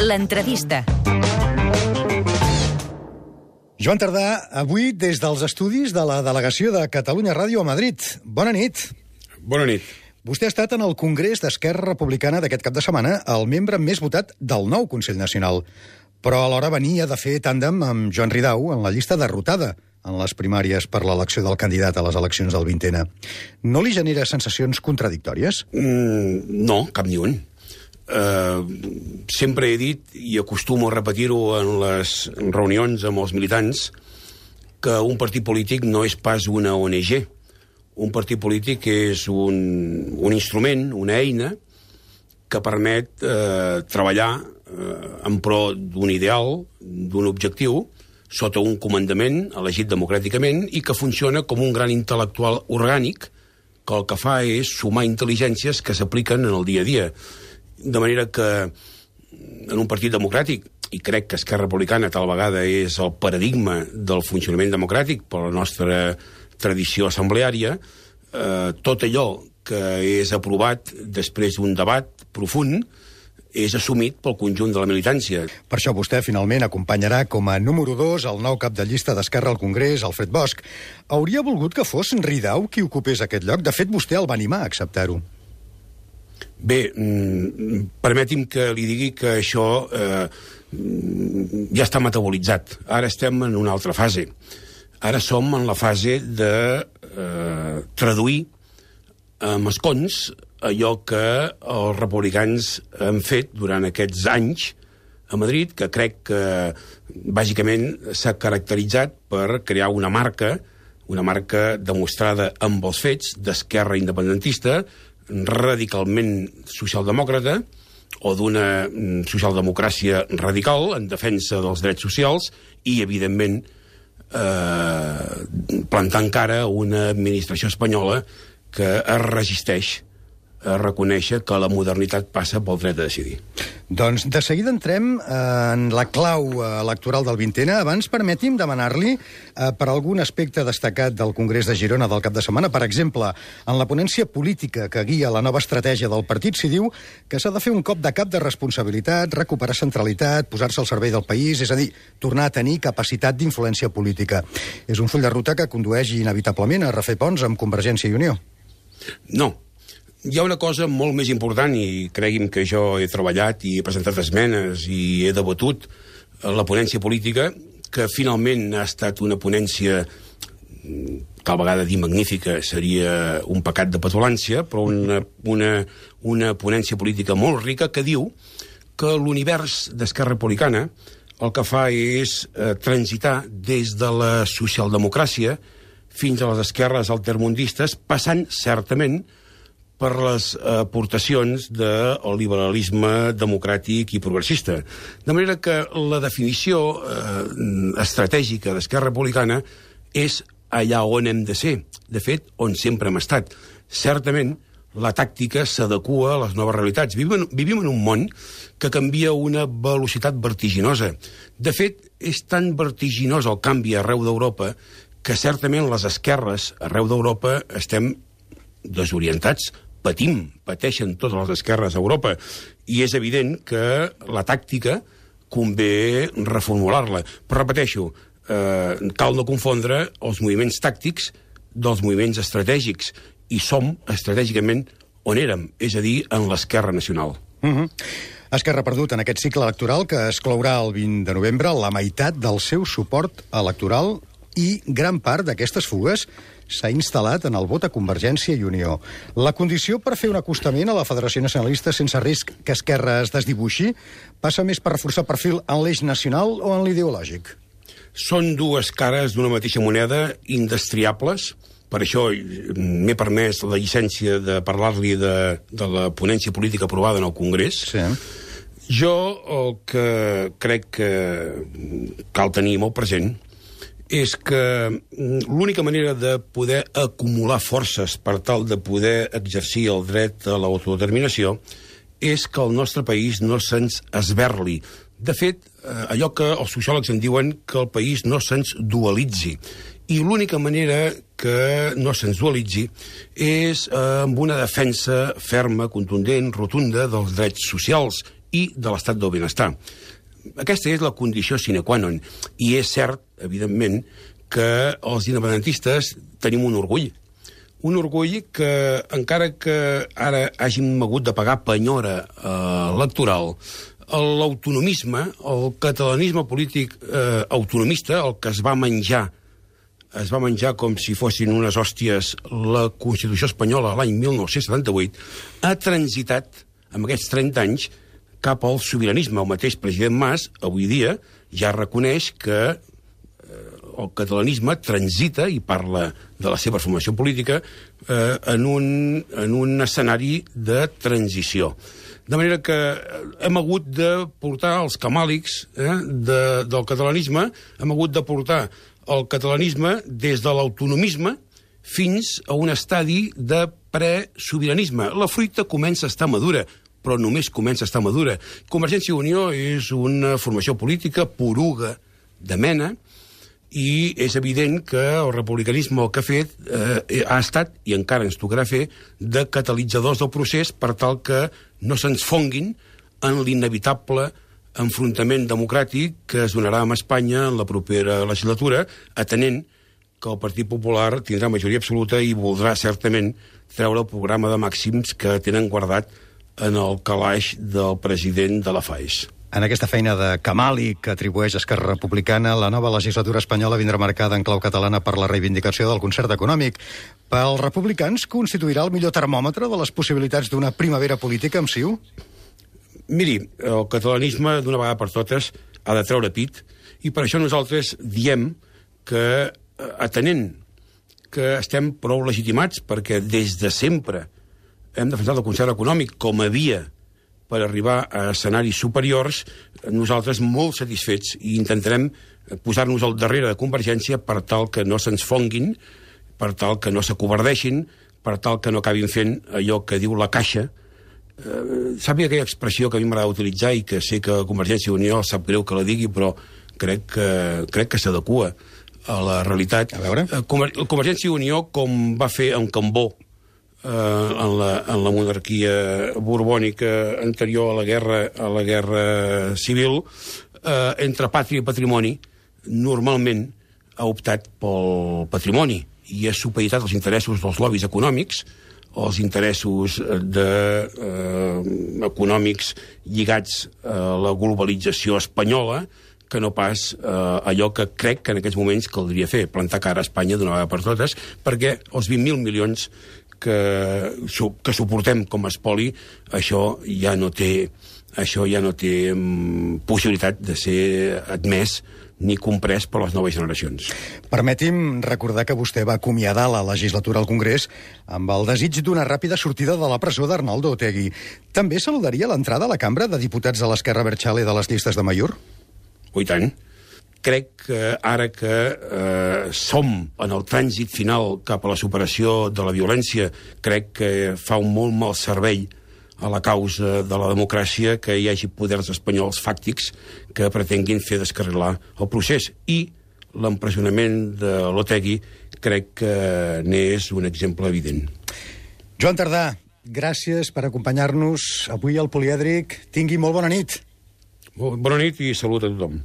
L'entrevista. Joan Tardà, avui des dels estudis de la delegació de Catalunya Ràdio a Madrid. Bona nit. Bona nit. Vostè ha estat en el Congrés d'Esquerra Republicana d'aquest cap de setmana el membre més votat del nou Consell Nacional, però alhora venia de fer tàndem amb Joan Ridao en la llista derrotada en les primàries per l'elecció del candidat a les eleccions del 20N. No li genera sensacions contradictòries? No, cap ni un. Sempre he dit, i acostumo a repetir-ho en les reunions amb els militants, que un partit polític no és pas una ONG. Un partit polític és un instrument, una eina, que permet treballar en pro d'un ideal, d'un objectiu, sota un comandament elegit democràticament i que funciona com un gran intel·lectual orgànic que el que fa és sumar intel·ligències que s'apliquen en el dia a dia. De manera que en un partit democràtic, i crec que Esquerra Republicana tal vegada és el paradigma del funcionament democràtic per la nostra tradició assembleària, tot allò que és aprovat després d'un debat profund és assumit pel conjunt de la militància. Per això vostè finalment acompanyarà com a número 2 el nou cap de llista d'Esquerra al Congrés, Alfred Bosch. Hauria volgut que fos Ridao qui ocupés aquest lloc? De fet, vostè el va animar a acceptar-ho. Bé, permeti'm que li digui que això ja està metabolitzat. Ara estem en una altra fase. Ara som en la fase de traduir amb escons allò que els republicans han fet durant aquests anys a Madrid, que crec que bàsicament s'ha caracteritzat per crear una marca demostrada amb els fets d'esquerra independentista, radicalment socialdemòcrata, o d'una socialdemocràcia radical en defensa dels drets socials i, evidentment, plantant cara a una administració espanyola que es resisteix a reconèixer que la modernitat passa pel dret a decidir. Doncs de seguida entrem en la clau electoral del 20N. Abans permeti'm demanar-li per algun aspecte destacat del Congrés de Girona del cap de setmana. Per exemple, en la ponència política que guia la nova estratègia del partit s'hi diu que s'ha de fer un cop de cap de responsabilitat, recuperar centralitat, posar-se al servei del país, és a dir, tornar a tenir capacitat d'influència política. És un full de ruta que condueix inevitablement a refer ponts amb Convergència i Unió. No. Hi ha una cosa molt més important, i cregui'm que jo he treballat i he presentat esmenes i he debatut la ponència política, que finalment ha estat una ponència, tal vegada dir magnífica seria un pecat de petulància, però una ponència política molt rica que diu que l'univers d'Esquerra Republicana el que fa és transitar des de la socialdemocràcia fins a les esquerres altermundistes, passant certament per les aportacions del liberalisme democràtic i progressista. De manera que la definició estratègica d'Esquerra Republicana és allà on hem de ser, de fet, on sempre hem estat. Certament, la tàctica s'adequa a les noves realitats. Vivim en un món que canvia a una velocitat vertiginosa. De fet, és tan vertiginós el canvi arreu d'Europa que certament les esquerres arreu d'Europa estem desorientats, pateixen totes les esquerres a Europa, i és evident que la tàctica convé reformular-la. Però repeteixo, cal no confondre els moviments tàctics dels moviments estratègics, i som estratègicament on érem, és a dir, en l'esquerra nacional. Esquerra ha perdut en aquest cicle electoral que es clourà el 20 de novembre la meitat del seu suport electoral i gran part d'aquestes fugues s'ha instal·lat en el vot a Convergència i Unió. La condició per fer un acostament a la Federació Nacionalista sense risc que Esquerra es desdibuixi passa més per reforçar perfil en l'eix nacional o en l'ideològic? Són dues cares d'una mateixa moneda indestriables. Per això m'he permès la llicència de parlar-li de la ponència política aprovada en el Congrés. Sí. Jo el que crec que cal tenir molt present és que l'única manera de poder acumular forces per tal de poder exercir el dret a l'autodeterminació és que el nostre país no se'ns esberli. De fet, allò que els sociòlegs en diuen que el país no se'ns dualitzi. I l'única manera que no se'ns dualitzi és amb una defensa ferma, contundent, rotunda dels drets socials i de l'estat del benestar. Aquesta és la condició sine qua non. I és cert, evidentment, que els independentistes tenim un orgull. Un orgull que, encara que ara hàgim hagut de pagar penyora electoral, l'autonomisme, el catalanisme polític autonomista, el que es va menjar com si fossin unes hòsties la Constitució espanyola l'any 1978, ha transitat, amb aquests 30 anys, cap al sobiranisme. El mateix president Mas, avui dia, ja reconeix que el catalanisme transita, i parla de la seva formació política, en un escenari de transició. De manera que hem hagut de portar els camàlics del catalanisme, hem hagut de portar el catalanisme des de l'autonomisme fins a un estadi de presobiranisme. La fruita comença a estar madura, però només comença a estar madura. Convergència i Unió és una formació política poruga de mena, i és evident que el republicanisme el que ha fet ha estat, i encara ens tocarà fer, de catalitzadors del procés per tal que no se'ns fonguin en l'inevitable enfrontament democràtic que es donarà amb Espanya en la propera legislatura, atenent que el Partit Popular tindrà majoria absoluta i voldrà certament treure el programa de màxims que tenen guardat en el calaix del president de la FAES. En aquesta feina de camàlic que atribueix Esquerra Republicana, la nova legislatura espanyola vindrà marcada en clau catalana per la reivindicació del concert econòmic. Pels republicans constituirà el millor termòmetre de les possibilitats d'una primavera política amb CiU? Miri, el catalanisme, d'una vegada per totes, ha de treure pit, i per això nosaltres diem que, atenent que estem prou legitimats, perquè des de sempre hem defensat el concert econòmic com a via per arribar a escenaris superiors, nosaltres molt satisfets, i intentarem posar-nos al darrere de Convergència per tal que no se'ns fonguin, per tal que no s'acovardeixin, per tal que no acabin fent allò que diu la Caixa. Sàpiga aquella expressió que a mi m'agrada utilitzar i que sé que Convergència i Unió sap greu que la digui, però crec que s'adequa a la realitat. A veure. Convergència i Unió, com va fer en Cambó, en la monarquia borbònica anterior a la guerra civil, entre pàtria i patrimoni, normalment ha optat pel patrimoni i ha supeditat els interessos dels lobbies econòmics, els interessos econòmics lligats a la globalització espanyola, que no pas allò que crec que en aquests moments caldria fer, plantar cara a Espanya d'una vegada per totes, perquè els 20.000 milions que suportem com a espoli, això ja no té possibilitat de ser admès ni comprès per les noves generacions. Permeti'm recordar que vostè va acomiadar la legislatura al Congrés amb el desig d'una ràpida sortida de la presó d'Arnaldo Otegi. També saludaria l'entrada a la cambra de diputats de l'Esquerra Abertzale de les llistes de Amaiur? Oh, i tant. Crec que ara que som en el trànsit final cap a la superació de la violència, crec que fa un molt mal servei a la causa de la democràcia que hi hagi poders espanyols fàctics que pretenguin fer descarrilar el procés. I l'empresonament de l'Otegi crec que n'és un exemple evident. Joan Tardà, gràcies per acompanyar-nos avui al Polièdric. Tingui molt bona nit. Bona nit i salut a tothom.